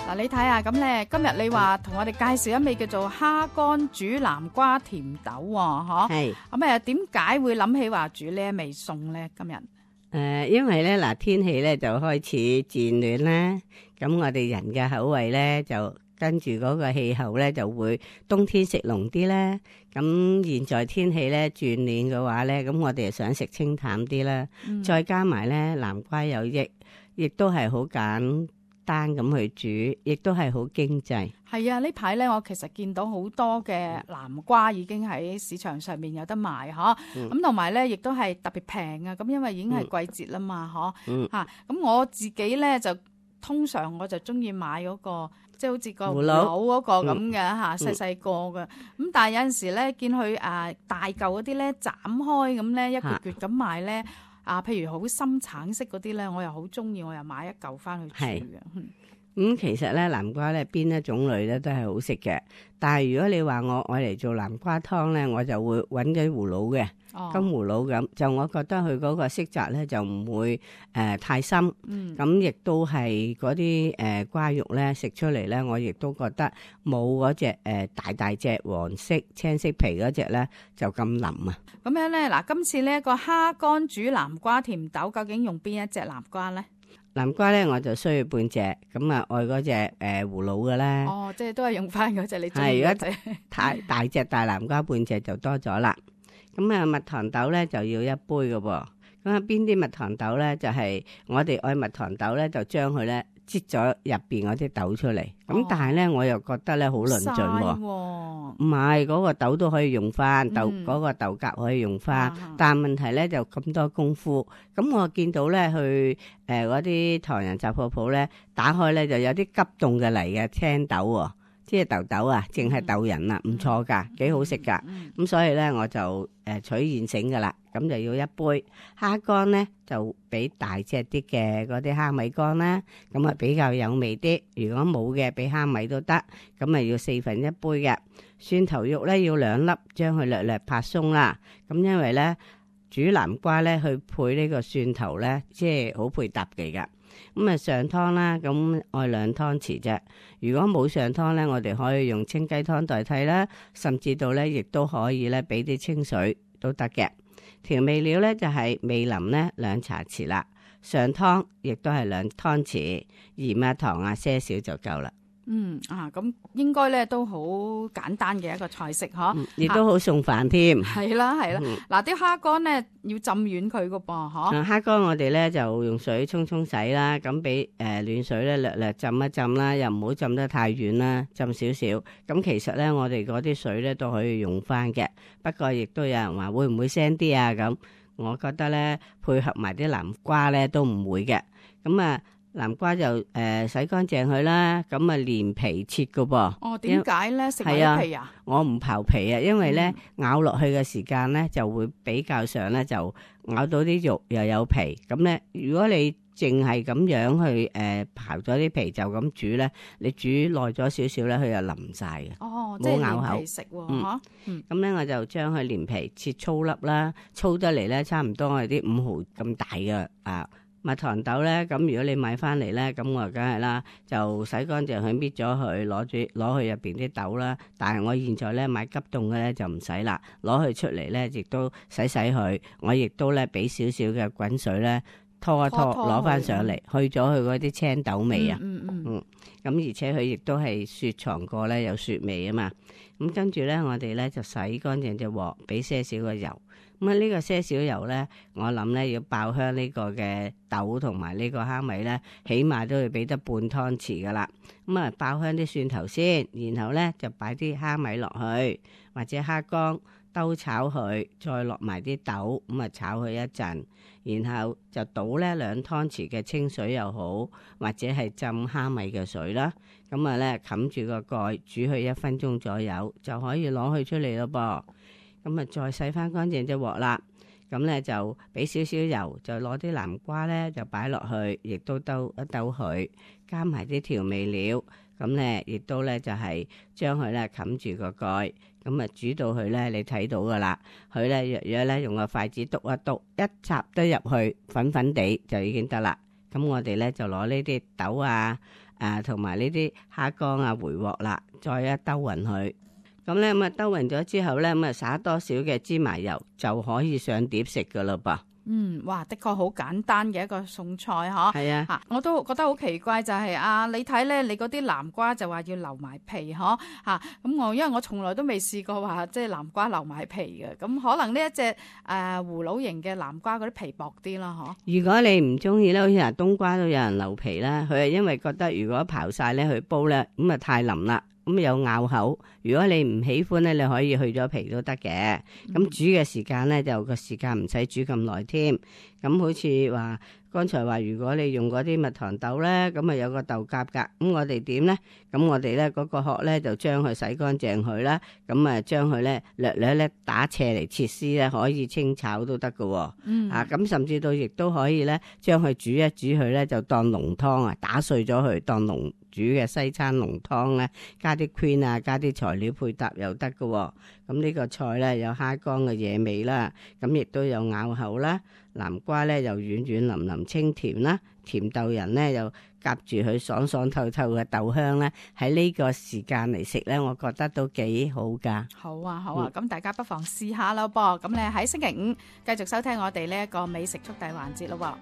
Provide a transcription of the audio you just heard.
嗱，你睇下咁咧，今日你話同我哋介紹一味叫做蝦乾煮南瓜甜豆喎，嗬？係咁點解會諗起話煮呢一味餸咧？今日因為咧嗱，天氣咧就開始漸暖啦，咁我哋人嘅口味咧就跟住嗰個氣候咧就會冬天食濃啲啦。咁現在天氣咧轉暖嘅話咧，咁我哋就想食清淡啲啦。再加埋咧南瓜有益，亦都係好簡單咁去煮，亦都係好經濟。係啊，呢排咧我其實見到好多嘅南瓜已經喺市場上面有得賣，嗬。咁同埋咧亦都係特別平啊，咁因為已經係季節啦嘛，嗬。嚇，咁我自己咧就通常我就中意買嗰個，即係好似個葫蘆嗰個咁嘅嚇，細細個嘅。咁但係有陣時咧見佢大嚿嗰啲咧斬開咁咧一橛橛咁賣咧。譬如好深橙色嗰啲咧，我又好中意，我又買一嚿翻去煮嘅。其實咧南瓜咧邊一種類咧都係好食嘅，但係如果你話我愛嚟做南瓜湯咧，我就會揾啲葫蘆嘅，金葫蘆咁，就我覺得佢嗰個色澤咧就唔會太深，咁亦都係嗰啲瓜肉咧食出嚟咧，我亦都覺得冇嗰隻大隻黃色青色皮嗰隻咧就咁腍啊。咁樣咧嗱，今次呢一個蝦乾煮南瓜甜豆，究竟用邊一隻南瓜咧？南瓜咧我就需要半隻，咁愛嗰隻葫蘆嘅咧。即係都係用翻嗰隻你中意嗰隻。太大隻大南瓜半隻就多咗啦。咁蜜糖豆咧就要一杯嘅噃。咁邊啲蜜糖豆咧就係我哋愛蜜糖豆咧，就將佢咧擠咗入邊嗰啲豆出嚟。咁但係咧我又覺得咧好論盡喎。唔係嗰個豆都可以用翻，嗰個豆莢可以用翻，但係問題咧就咁多功夫。咁我見到咧去嗰啲唐人雜貨鋪咧打開咧就有啲急凍嘅嚟嘅青豆喎。即係豆豆啊，淨係豆仁啊，唔錯噶，幾好食噶。咁所以咧，我就取現成噶啦。咁就要一杯蝦乾咧，就俾大隻啲嘅嗰啲蝦米乾啦。咁啊比較有味啲。如果冇嘅，俾蝦米都得。咁啊要1/4杯嘅蒜頭肉咧，要2粒，將佢略略拍鬆啦。咁因為咧煮南瓜咧，去配呢個蒜頭咧，即係好配搭嘅噶。咁啊上湯啦，咁愛2湯匙啫。如果冇上湯咧，我哋可以用清雞湯代替啦，甚至到咧亦都可以咧俾啲清水都得嘅。調味料咧就係味淋咧2茶匙啦，上湯亦都係2湯匙，鹽啊糖啊些少就夠啦。咁應該咧都好簡單嘅一個菜式嗬，亦都好送飯添。係啦。嗱，啲蝦乾咧要浸軟佢噶噃，嗬。蝦乾我哋咧就用水沖洗啦，咁俾暖水咧略略浸一浸啦，又唔好浸得太軟啦，浸少少。咁其實咧我哋嗰啲水咧都可以用翻嘅，不過亦都有人話會唔會腥啲啊？咁我覺得咧配合埋啲南瓜咧都唔會嘅。咁南瓜就洗乾淨佢啦，咁連皮切噶噃。點解咧？食埋皮啊？我唔刨皮啊，因為咧咬落去嘅時間咧就會比較上咧就咬到啲肉又有皮。咁咧如果你淨係咁樣去刨咗啲皮就咁煮咧，你煮耐咗少少咧，佢就腍晒嘅。即係咬口連皮食喎，咁咧我就將佢連皮切粗粒啦，粗得嚟咧差唔多係啲5毫咁大嘅蜜糖豆咧，咁如果你買翻嚟咧，咁我梗係啦，就洗乾淨佢，搣咗佢，攞去入邊啲豆啦。但係我現在咧買急凍嘅咧就唔使啦，攞佢出嚟咧，亦都洗佢。我亦都咧俾少少嘅滾水咧拖一拖，攞翻上嚟，去咗佢嗰啲青豆味啊。咁而且佢亦都係雪藏過咧，有雪味啊嘛。咁跟住咧，我哋咧就洗乾淨隻鑊，俾些少嘅油。咁呢個些少油咧，我諗咧要爆香呢個嘅豆同埋呢個蝦米咧，起碼都要俾得半湯匙噶啦。咁爆香啲蒜頭先，然後咧就擺啲蝦米落去，或者蝦乾兜炒佢，再落埋啲豆，咁炒佢一陣，然後就倒咧2湯匙嘅清水又好，或者係浸蝦米嘅水啦。咁咧冚住個蓋，煮佢1分鐘左右，就可以攞佢出嚟咯噃。咁再洗翻乾淨隻鑊啦，咁咧就俾少少油，就攞啲南瓜咧就擺落去，亦都兜一兜佢，加埋啲調味料，咁咧亦都咧就係將佢咧冚住個蓋，咁煮到佢咧你睇到噶啦，佢咧若若咧用個筷子篤一篤，一插得入去粉粉地就已經得啦。咁我哋咧就攞呢啲豆啊、同埋呢啲蝦乾啊、回鑊啦，再一兜勻佢。咁咧咁啊兜勻咗之後咧，咁啊灑多少嘅芝麻油就可以上碟食噶啦噃。哇，的確好簡單嘅一個餸菜嗬。係啊，我都覺得好奇怪就係你睇咧，你嗰啲南瓜就話要留埋皮嗬咁因為我從來都未試過話即係南瓜留埋皮嘅，咁可能呢一隻葫蘆型嘅南瓜嗰啲皮薄啲啦嗬。如果你唔中意咧，好似嗱冬瓜都有人留皮啦，佢係因為覺得如果刨晒咧去煲咧，咁啊太腍啦。咁有咬口，如果你唔喜歡咧，你可以去咗皮都得嘅。咁煮嘅時間咧，就個時間唔使煮咁耐添。咁好似話剛才話，如果你用嗰啲蜜糖豆咧，咁啊有個豆莢噶。咁我哋點咧？咁我哋咧嗰個殼咧就將佢洗乾淨佢啦。咁啊將佢咧略略打斜嚟切絲咧，可以清炒都得噶。咁甚至到亦都可以咧，將佢煮一煮佢咧，就當濃湯啊，打碎咗佢當濃煮嘅西餐濃湯咧，加啲 cream 啊，加啲材料配搭又得噶。咁呢個菜咧有蝦乾嘅野味啦，咁亦都有咬口啦。南瓜咧又軟軟腍腍清甜啦，甜豆仁咧又夾住佢爽爽透透嘅豆香咧，喺呢個時間嚟食咧，我覺得都幾好噶。好啊，咁大家不妨試下咯噃。咁你喺星期五繼續收聽我哋呢一個美食速遞環節咯。